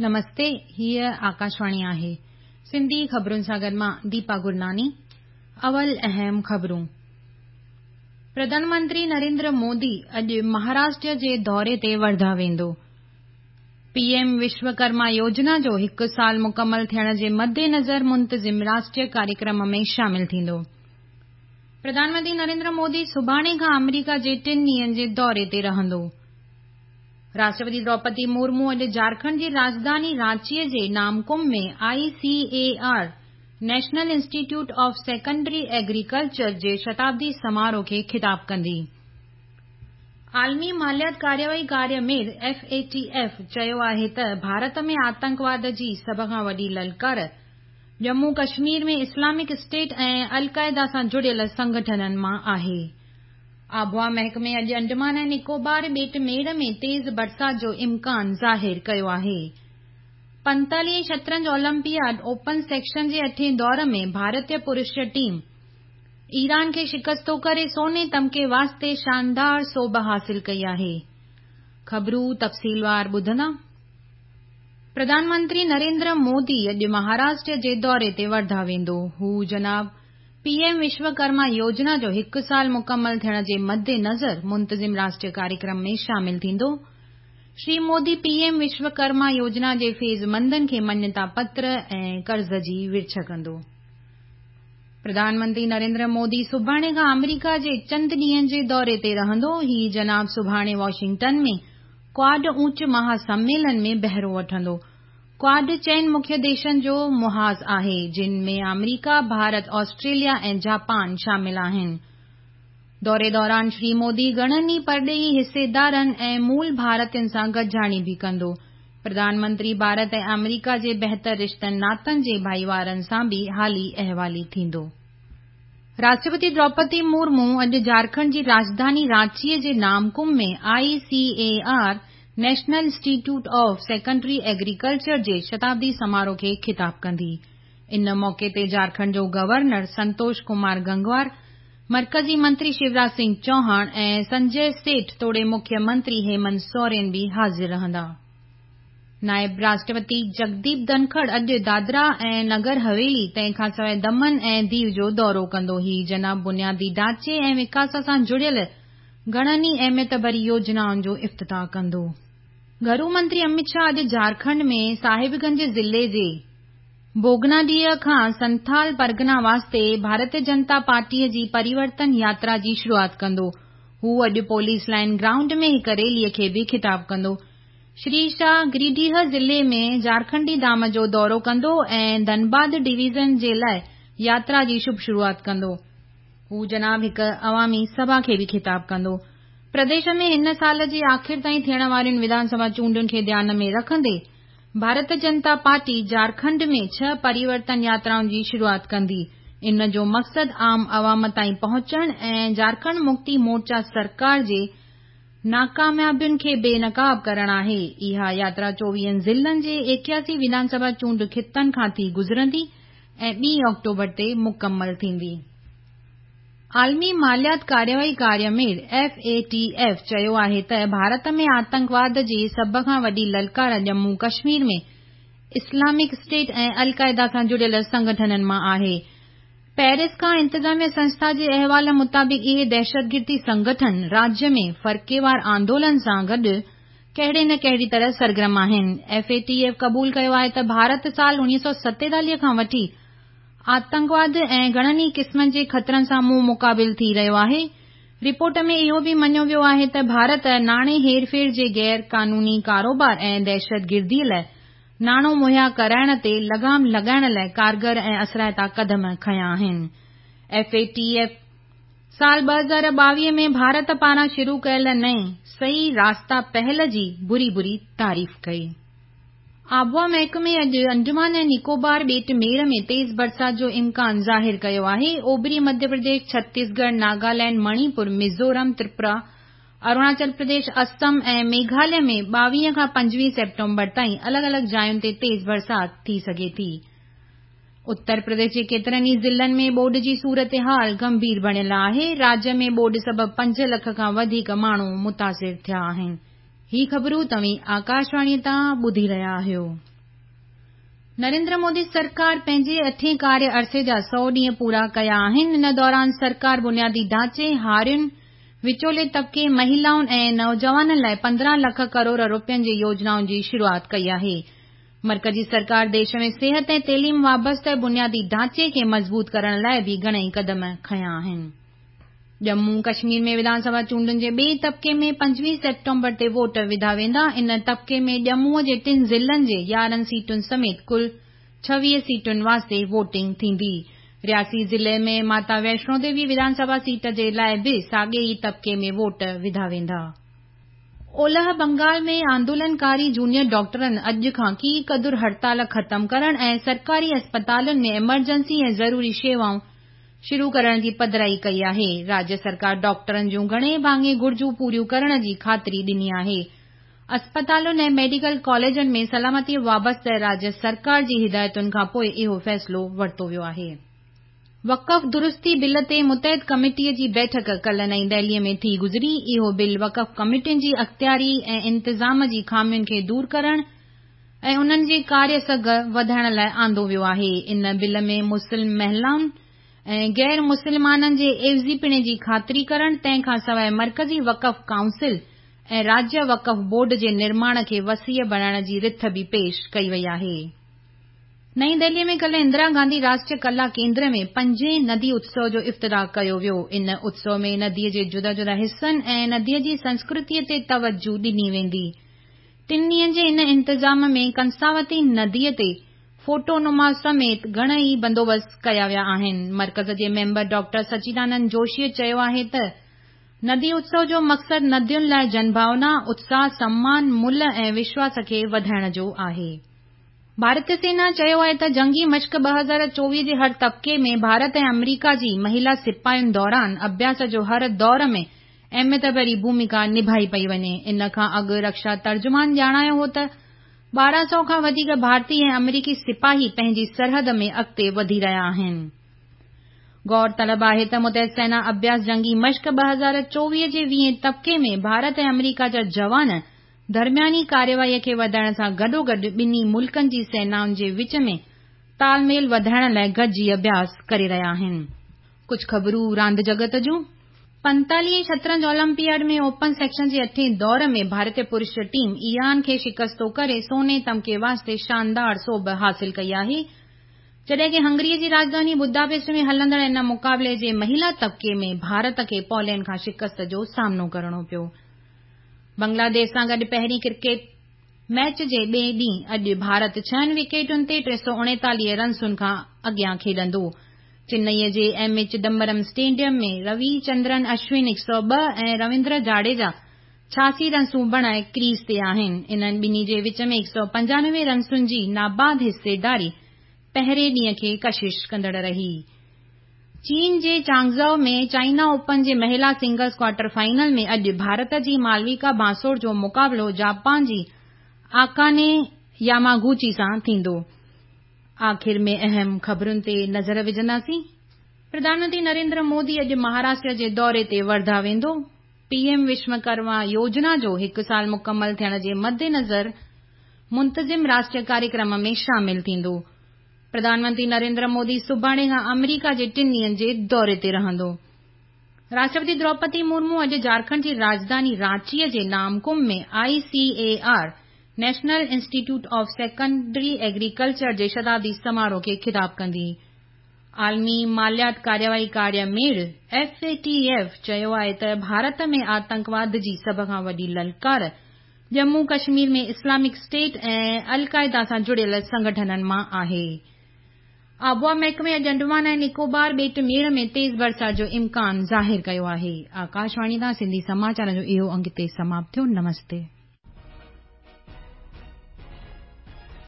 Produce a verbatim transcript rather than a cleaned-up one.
نمستي، هيءَ آڪاشواڻي آهي. سنڌي خبرن سان گڏ مان ديپا گرناني. اول اهم خبرون. پرڌان منتري نريندر مودي اڄ مهاراشٽر جي دوري تي ورڌا ويندو. پي ايم وشوڪرما يوجنا جو هڪ سال مڪمل ٿيڻ جي مدنظر منتظم راشٽريه ڪاريڪرم ۾ شامل ٿيندو. پرڌان منتري نريندر مودي سڀاڻي کان آمريڪا جي ٽن ڏينهن جي دوري تي رهندو. راشٽرپتي دروپدي مرمو اڄ جهارکنڊ جي راڄڌاني رانچيء جي نامڪم ۾ I C A R National Institute of Secondary Agriculture جي شتابدي سماروهه کي خطاب ڪندي. عالمي ماليات ڪارروائي ڪاريه ميڙ ايف اي ٽي ايف چيو آهي ته ڀارت ۾ آتنڪواد جي سڀ کان وڏي للڪار ڄمون ڪشمير ۾ اسلامڪ اسٽيٽ ۽ القاعده سان جڙيل سنگٺنن مان آهي. آبهوا محڪمي اڄ انڊمان ۽ نڪوبار ٻيٽ ميڙ ۾ تيز برسات جو امڪان ظاهر ڪيو آهي. پنتاليهين شطرنج اولمپياڊ اوپن سيڪشن جي اٺين دور ۾ ڀارتيه پرش ٽيم ايران کي شڪستو ڪري سوني تمغي واسطي شاندار سوڀ حاصل ڪئي آهي. خبرون تفصيلوار ٻڌندا. پرڌان منتري نريندر مودي اڄ مهاراشٽر جي دوري تي ورڌا ويندو. هو جناب پي ايم وشوڪرما يوجنا جو هڪ سال مڪمل ٿيڻ جي مدنظر منتظم راشٽريه ڪاريڪرم ۾ شامل ٿيندو. شري مودي پي ايم وشوڪرما يوجنا جي فيضمندن کي مڃتا پتر ۽ قرض جي ورڇ ڪندو. پرڌان منتري نريندر مودي سڀاڻي کان آمريڪا جي چند ڏينهن جي دوري تي رهندو. هي جناب سڀاڻي واشنگٽن ۾ ڪواڊ اوچ مهاسميلن ۾ بهرو وٺندو. ڪواڊ چئن مکيه ديشن جو محاذ آهي، جن ۾ آمريڪا، ڀارت، آسٽريليا ۽ جاپان شامل آهن. دوري دوران شري مودي گهڻن ئي پرڏيهي حصيدارن ۽ مول ڀارتين سان گڏجاڻي به ڪندو. پرڌان منتري ڀارت ۽ آمريڪا جي بهتر رشتن ناتن جي ڀائيوارن سان به حالي احوالي ٿيندو. راشٽرپتي دروپدي مرمو اڄ جهارکنڊ جي راڄڌاني رانچيء جي نامڪم ۾ I C A R National Institute of Secondary Agriculture جي شتابدي سماروهه کي خطاب ڪندي. ان موقعي تي جهارکنڊ جو گورنر سنتوش ڪمار گنگوار، مرڪزي منتري شيوراج سنگهه چوهاڻ ۽ سنجي سيٺ توڙي مکيه منتري هيمنت سورين به حاضر رهندا. نائب راشٽرپتي جگديپ ڌنکڙ اڄ دادرا ۽ نگر حويلي تنهن کان سواءِ دمن ۽ ديو جو دورو ڪندو. هي جناب بنيادي ڍانچي ۽ وڪاس سان جڙيل گهڻن ئي اهميت ڀري يوجنائن جو افتتاح ڪندو. گهرو منتري امت شاهه اڄ جهارکنڊ ۾ صاحبگنج ضلعي جي ڀوگناڊيهه کان سنٿال پرگنا واسطي ڀارتيه جنتا پارٽيءَ جي پريورتن ياترا جي شروعات ڪندو. هو اڄ پوليس لائن گرائونڊ ۾ هڪ ريليءَ کي به خطاب ڪندو. شري شاهه گريڊيهه ضلعي ۾ جهارکنڊي ڌام جو دورو ڪندو ۽ ڌنباد ڊويزن جي لاءِ ياترا جي شڀ شروعات ڪندو. هو جناب هڪ عوامي سڀا کي به خطاب ڪندو. پرديش ۾ هن سال جي آخر تائين ٿيڻ وارين وڌان سڀا چونڊن کي ڌيان ۾ رکندي ڀارتيه جنتا پارٽي جهارکنڊ ۾ ڇهه پريورتن ياترائن جي شروعات ڪندي. ان جو مقصد عام عوام تائين پهچڻ ۽ جهارکنڊ مڪتي مورچا سرڪار جي ناڪاميابين کي بي نقاب ڪرڻ آهي. اها ياترا چوويهن ضلعن جي ايڪياسي وڌان سڀا چونڊ خطن کان ٿي گذرندي ۽ ٻي آڪٽوبر تي مڪمل ٿيندي. عالمي ماليات ڪارروائي ڪاريه ميڙ ايف اي ٽي ايف چيو آهي ته ڀارت ۾ آتنڪواد جي سڀ کان وڏي للڪار ڄمون ڪشمير ۾ اسلامڪ اسٽيٽ ۽ القاعده سان جڙيل سنگٺنن مان آهي. پيرس کان انتظاميه سنسٿا جي احوال مطابق اهي دهشتگردي سنگٺن راجيه ۾ فرقيوار آندولن سان گڏ ڪهڙي نه ڪهڙي طرح سرگرم آهن. ايف اي ٽي ايف قبول ڪيو آهي ته ڀارت سال اڻويهه سؤ ستيتاليهه کان وٺي آتنڪواد ۽ گهڻن ئي قسمن جي خطرن سان منهن مقابل ٿي رهيو آهي. رپورٽ ۾ اهو به مڃيو ويو آهي ته ڀارت ناڻي هيرڦير جي غير قانوني ڪاروبار ۽ دهشتگرديءَ لاءِ ناڻو مهيا ڪرائڻ تي لگام لڳائڻ لاءِ ڪارگر ۽ اثرائتا قدم کنيا آهن. ايف اي ٽي ايف سال ٻه هزار ٻاويهه ۾ ڀارت پاران شروع ڪيل نئين صحيح راستا پهل جي بري بري تعريف ڪئي. آبهوا محڪمي اڄ انڊمان ۽ نڪوبار ٻيٽ ميڙ ۾ تيز برسات جو امڪان ظاهر ڪيو آهي. اوڀري مڌيه پرديش، ڇتيسڳڙهه، ناگالينڊ، مڻيپور، ميزورم، تريپورا، اروناچل پرديش، اسم ۽ ميگهاليه ۾ ٻاويهه کان پنجويهه سيپٽمبر تائين الڳ الڳ جاين تي تيز برسات ٿي سگهي ٿي. اتر پرديش جي ڪيترن ئي ضلعن ۾ ٻوڏ جي صورتحال گنڀير بڻيل آهي. راجيه ۾ ٻوڏ سبب پنج لک کان وڌيڪ ماڻهو متاثر ٿيا آهن. هي خبرون توهين آڪاشواڻيءَ تان ٻڌي رهيا آهيو. نريندر مودي سرڪار پنهنجي اٺين ڪاريه عرصي جا سؤ ڏينهن پورا ڪيا آهن. ان دوران سرڪار بنيادي ڍانچي، هارين، وچولي طبقي، مهلائن ۽ نوجوانن لاءِ پندرهن لک ڪروڙ رپين جي يوجنائن جي شروعات ڪئي آهي. مرڪزي سرڪار ديش ۾ صحت ۽ تعليم وابسته بنيادي ڍانچي کي مضبوط ڪرڻ لاءِ به گهڻئي قدم کنيا آهن. ڄمون ڪشمير ۾ وڌان سڀا چونڊن جي ٻئي طبقي ۾ پنجويهه سيپٽمبر تي ووٽ وڌا ويندا. ان طبقي ۾ ڄمون جي ٽن ضلعن جي يارهن سيٽن سميت ڪل ڇويهه سيٽن واسطي ووٽنگ ٿيندي. رياسي ضلعي ۾ ماتا ويشنو ديوي وڌان سڀا سيٽ جي لاءِ به ساڳئي ئي طبقي ۾ ووٽ وڌا ويندا. اولهه بنگال ۾ آندولنڪاري جونيئر ڊاڪٽرن اڄ کان ڪي قدر هڙتال ختم ڪرڻ ۽ سرڪاري اسپتالن ۾ ايمرجنسي ۽ ضروري شيوائون شروع ڪرڻ جي پڌرائي ڪئي آهي. راجيه سرڪار ڊاڪٽرن جون گهڻي ڀاڱي گهرجون پوريون ڪرڻ جي خاطري ڏني آهي. اسپتالن ۽ ميڊيڪل ڪاليجن ۾ سلامتي وابسته راجيه سرڪار جي هدايتن کان پوءِ اهو فيصلو ورتو ويو آهي. وقف درستي بل تي متحد ڪميٽيءَ جي بيٺڪ ڪالهه نئين دهليءَ ۾ ٿي گذري. اهو بل وقف ڪميٽين جي اختياري ۽ انتظام جي خامين کي دور ڪرڻ ۽ انهن جي ڪاريه سگهه وڌائڻ لاءِ آندو ويو آهي. ان بل ۾ مسلم مهلائن ۽ غير مسلمانن جي عيوضيپڻي جي خاطري ڪرڻ، تنهن کان سواءِ مرڪزي وقف ڪائونسل ۽ راجيه وقف بورڊ جي نرماڻ کي وسيع بڻائڻ جي رٿ به پيش ڪئي وئي آهي. نئين دهليءَ ۾ ڪالهه اندرا گانڌي راشٽريه ڪلا ڪيندر ۾ پنجين ندي اتسو جو افتتاح ڪيو ويو. ان اتسو ۾ نديءَ جي جدا جدا حصن ۽ نديءَ جي سنسڪرتيءَ تي توجهه ڏني ويندي. ٽن ڏينهن جي ان انتظام ۾ ڪنساوتي نديءَ تي فوٽو نما سميت گهڻئي بندوبست ڪيا ويا آهن. مرڪز جي ميمبر ڊاڪٽر سچيدانند جوشيءَ چيو آهي ته ندي اتسو جو مقصد ندين لاءِ جن ڀاونا، اتساهه، سمان، ملهه ۽ وشواس کي وڌائڻ جو آهي. ڀارتيه سينا چيو آهي ته جنگي مشق ٻه هزار چوويهه جي هر طبقي ۾ ڀارت ۽ آمريڪا جي مهلا سپاهين دوران اڀياس جو هر دور ۾ اهميت ڀري ڀومڪا نڀائي پئي وڃي. ان کان اڳ رڪشا ترجمان ڄاڻايو هو ته ٻارهن سؤ کان وڌيڪ ڀارتي ۽ آمريڪي سپاهي پنهنجي سرحد ۾ اڳتي وڌي رهيا آهن. غور طلب آهي ته متحد سينا اڀياس جنگي مشق ٻه هزار چوويهه جي ويهين طبقي ۾ ڀارت ۽ آمريڪا جا جوان درمياني ڪارروائيءَ کي وڌائڻ سان گڏوگڏ ٻنهي ملڪن جي سينائن جي وچ ۾ تال ميل وڌائڻ لاءِ گڏجي اڀياس ڪري رهيا آهن. ڪجهه خبرون راند جڳت جون. پنتاليهين شطرنج اولمپياڊ ۾ اوپن سيڪشن جي اٺين دور ۾ ڀارتيه پرش ٽيم ايران کي شڪستو ڪري سوني تمغي واسطي شاندار سوڀ حاصل ڪئي آهي. جڏهن ڪه هنگريءَ جي راڄڌاني بوداپيسٽ ۾ هلندڙ ان مقابلي جي مهلا طبقي ۾ ڀارت کي پولينڊ کان شڪست جو سامنو ڪرڻو پيو. بنگلاديش سان گڏ پهرين ڪرڪيٽ ميچ جي ٻئي ڏينهن اڄ ڀارت ڇهن وڪيٽن تي ٽي سؤ اڻيتاليهه رنسن کان اڳيان کيڏندو. چنئيءَ جي M A Chidambaram stadium ۾ Ravichandran Ashwin هڪ سؤ ٻه ۽ رويندر جاڙيجا ڇهاسي رنسون بڻائي ڪريز تي آهن. انهن ٻنهي جي وچ ۾ هڪ سؤ پنجانوي رنسن جي ناباد حصيداري پهرين ڏينهن کي ڪشش ڪندڙ رهي. چين جي چانگزائو ۾ چائنا اوپن جي مهلا سنگلز ڪوارٽر فائنل ۾ اڄ ڀارت جي مالويڪا بانسور جو مقابلو جاپان جي آڪاني ياماگوچي سان ٿيندو. آخر ۾ اهم خبرن تي نظر وجهنداسين. پرڌان منتري نريندر مودي اڄ مهاراشٽر جي دوري تي ورڌا ويندو. پي ايم وشوڪرما يوجنا جو هڪ سال مڪمل ٿيڻ جي مدنظر منتظم راشٽريه ڪاريڪرم ۾ شامل ٿيندو. پرڌان منتري نريندر مودي سڀاڻي کان آمريڪا جي ٽن ڏينهن جي دوري تي رهندو. راشٽرپتي دروپدي مرمو اڄ جهارکنڊ جي راڄڌاني رانچيءَ جي نامڪم ۾ I C A R national institute of secondary agriculture جي شتابدي سماروهه کي خطاب ڪندي. عالمي ماليات ڪارروائي ڪاريه ميڙ ايف اي ٽي ايف چيو آهي ته ڀارت ۾ آتنڪواد جي سڀ کان وڏي للڪار ڄمون ڪشمير ۾ اسلامڪ اسٽيٽ ۽ القاعده سان جڙيل سنگٺنن مان آهي. آبهوا محڪمي اڄ انڊمان ۽ نڪوبار ٻيٽ ميڙ ۾ تيز برسات جو امڪان ظاهر ڪيو آهي. آڪاشواڻي تان سنڌي سماچار جو اهو انگ هتي سماپت ٿيو. نمستي.